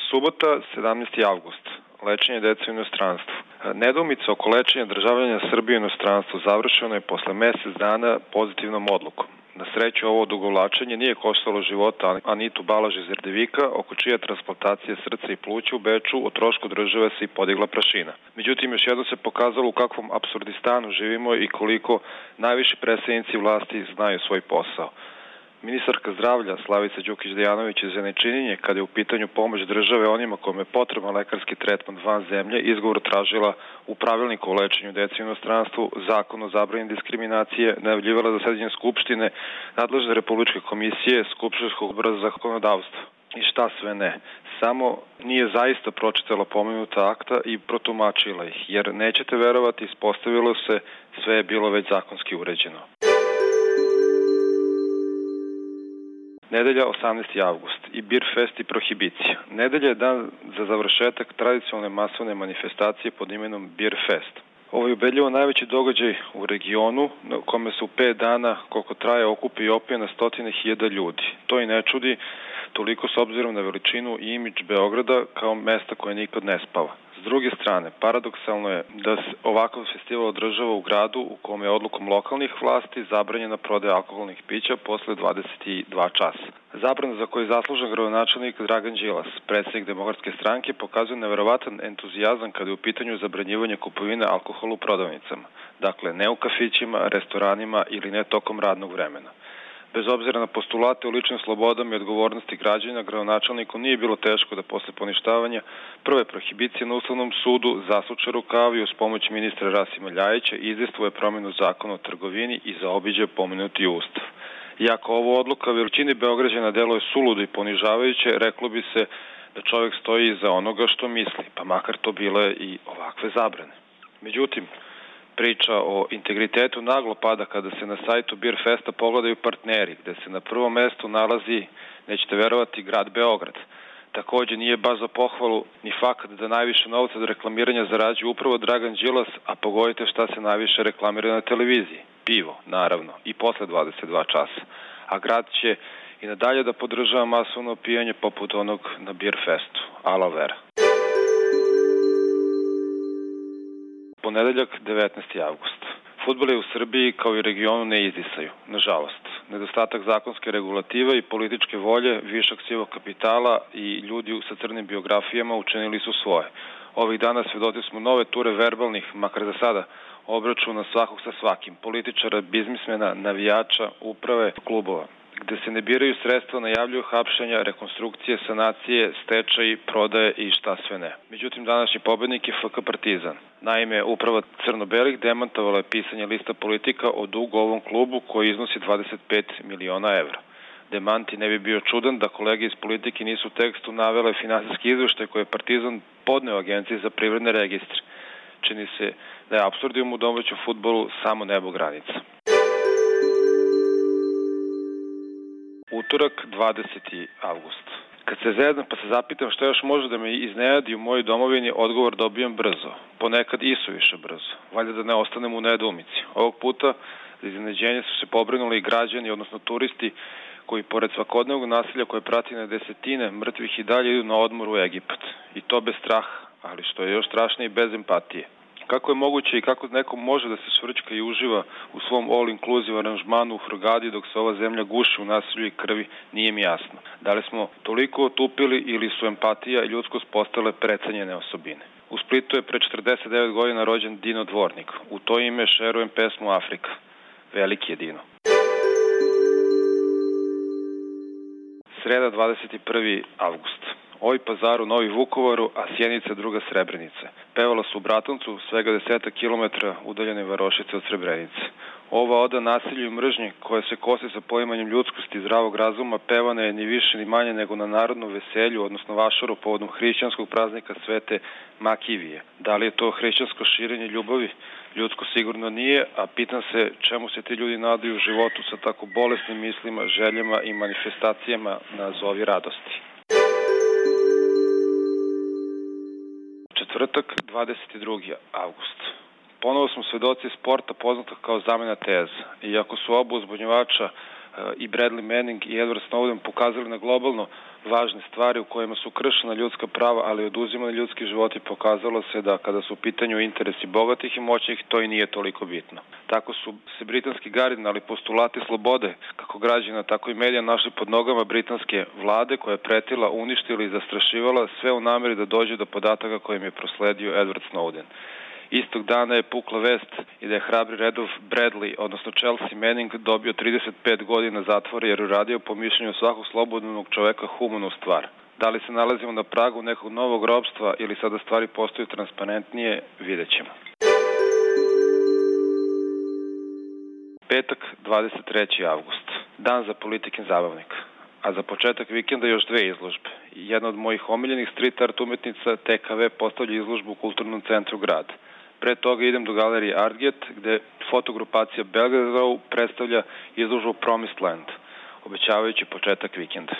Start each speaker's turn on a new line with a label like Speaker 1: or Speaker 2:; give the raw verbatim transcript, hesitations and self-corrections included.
Speaker 1: Subota, sedamnaesti avgust. Lečenje dece u inostranstvu. Nedoumica oko lečenja državljana Srbije u inostranstvu završeno je posle mesec dana pozitivnom odlukom. Na sreću, ovo odugovlačenje nije koštalo života Anitu Balaž iz Erdevika, oko čije transplantacije srca i pluća u Beču o trošku države se i podigla prašina. Međutim, još jedno se pokazalo u kakvom apsurdistanu živimo i koliko najviši predstavnici vlasti znaju svoj posao. Ministarka zdravlja Slavica Đukić Dejanović je za nečinjenje, kada je u pitanju pomoć države onima kojima je potreban lekarski tretman van zemlje, izgovor tražila u pravilniku o lečenju dece u inostranstvu, zakon o zabrani diskriminacije, najavljivala zasedanje Skupštine, nadležne Republičke komisije, Skupštinskog odbora za zakonodavstvo. I šta sve ne. Samo nije zaista pročitala pomenuta akta i protumačila ih, jer nećete verovati, ispostavilo se, sve je bilo već zakonski uređeno. Nedelja, osamnaesti avgust i Bir Fest i prohibicija. Nedelja je dan za završetak tradicionalne masovne manifestacije pod imenom Bir Fest. Ovo je ubedljivo najveći događaj u regionu na kome se u pet dana, koliko traje, okupi i opije na stotine hiljada ljudi. To i ne čudi toliko s obzirom na veličinu i imidž Beograda kao mesta koje nikad ne spava. S druge strane, paradoksalno je da se ovakav festival održava u gradu u kome je odlukom lokalnih vlasti zabranjena prodaja alkoholnih pića posle dvadeset dva časa. Zabrana za koju je zaslužen gradonačelnik Dragan Đilas, predsjednik Demokratske stranke, pokazuje neverovatan entuzijazam kada je u pitanju zabranjivanje kupovine alkohola u prodavnicama. Dakle, ne u kafićima, restoranima ili ne tokom radnog vremena. Bez obzira na postulate o ličnim slobodama i odgovornosti građana, gradonačelniku nije bilo teško da posle poništavanja prve prohibicije na Ustavnom sudu zasuče rukavi uz pomoć ministra Rasima Ljajića i izdejstvuje promjenu zakona o trgovini i zaobiđe pomenuti Ustav. Iako ovo odluka većini Beograđana deluje suludo i ponižavajuće, reklo bi se da čovjek stoji iza onoga što misli, pa makar to bile i ovakve zabrane. Međutim, priča o integritetu naglo pada kada se na sajtu Bir Festa pogledaju partneri, gde se na prvom mestu nalazi, nećete verovati, grad Beograd. Takođe nije baš za pohvalu ni fakat da najviše novca od reklamiranja zarađuje upravo Dragan Đilas, a pogodite šta se najviše reklamira na televiziji. Pivo, naravno, i posle dvadeset dva časa. A grad će i nadalje da podržava masovno opijanje poput onog na Bir Festu. Ala vera. Ponedeljak, devetnaesti avgust. Fudbal je u Srbiji kao i regionu ne izdisaju, nažalost. Nedostatak zakonske regulative i političke volje, višak sivog kapitala i ljudi sa crnim biografijama učinili su svoje. Ovih dana svedoci smo nove ture verbalnih, makar za sada, obračuna svakog sa svakim, političara, biznismena, navijača, uprave, klubova, gde se ne biraju sredstva, najavljuju hapšenja, rekonstrukcije, sanacije, stečaji, prodaje i šta sve ne. Međutim, današnji pobednik je F K Partizan. Naime, uprava crno-belih demantovala je pisanje lista politika o dugu ovom klubu koji iznosi dvadeset pet miliona evra. Demanti ne bi bio čudan da kolege iz politike nisu u tekstu navele finansijski izveštaj koje je Partizan podneo Agenciji za privredne registre. Čini se da je apsurdijum u domaćem fudbalu samo nebo granica. Utorak, dvadeseti avgust. Kad se zezam pa se zapitam što još može da me iznenadi u mojoj domovini, odgovor dobijam brzo. Ponekad i suviše brzo. Valjda da ne ostanem u nedoumici. Ovog puta za iznenađenje su se pobrinuli i građani, odnosno turisti, koji pored svakodnevnog nasilja koje prati na desetine mrtvih i dalje idu na odmor u Egipat. I to bez straha, ali što je još strašnije, bez empatije. Kako je moguće i kako neko može da se švrćka i uživa u svom all-inclusive aranžmanu u Hurgadi dok se ova zemlja guši u nasilju i krvi, nije mi jasno. Da li smo toliko otupili ili su empatija i ljudskost postale precenjene osobine? U Splitu je pre četrdeset devet godina rođen Dino Dvornik. U to ime šerujem pesmu Afrika. Veliki je Dino. Sreda, dvadeset prvi avgust. Oj Pazaru, Novi Vukovaru, a Sjenica druga Srebrenice. Pevala su u Bratuncu, svega desetak kilometara udaljene varošice od Srebrenice. Ova oda nasilju i mržnji, koja se kosi sa poimanjem ljudskosti i zdravog razuma, pevana je ni više ni manje nego na narodnom veselju, odnosno vašaru povodom hrišćanskog praznika Svete Makivije. Da li je to hrišćansko širenje ljubavi? Ljudsko sigurno nije, a pitam se čemu se ti ljudi nadaju u životu sa tako bolesnim mislima, željama i manifestacijama na zovi radosti. Četvrtak, dvadeset drugi avgust. Ponovo smo svedoci sporta poznatog kao zamena teza. Iako su oba uzbunjivača i Bradley Manning i Edward Snowden pokazali na globalno važne stvari u kojima su kršena ljudska prava, ali oduzimani ljudski životi, pokazalo se da kada su u pitanju interesi bogatih i moćnih, to i nije toliko bitno. Tako su se britanski kardinali postulati slobode, kako građana, tako i medija, našli pod nogama britanske vlade, koja je pretila, uništila i zastrašivala, sve u nameri da dođe do podataka kojim je prosledio Edward Snowden. Istog dana je pukla vest i da je hrabri redov Bradley, odnosno Chelsea Manning, dobio trideset pet godina zatvora jer je radio po mišljenju svakog slobodnog čoveka humanu stvar. Da li se nalazimo na pragu nekog novog ropstva ili sada stvari postaju transparentnije, vidjet ćemo. Petak, dvadeset treći avgust. Dan za politikin zabavnik. A za početak vikenda još dve izložbe. Jedna od mojih omiljenih street art umetnica T K V postavlja izložbu u Kulturnom centru grada. Pre toga idem do galerije Artget, gde fotogrupacija Belgrade Row predstavlja izložbu Promised Land, obećavajući početak vikenda.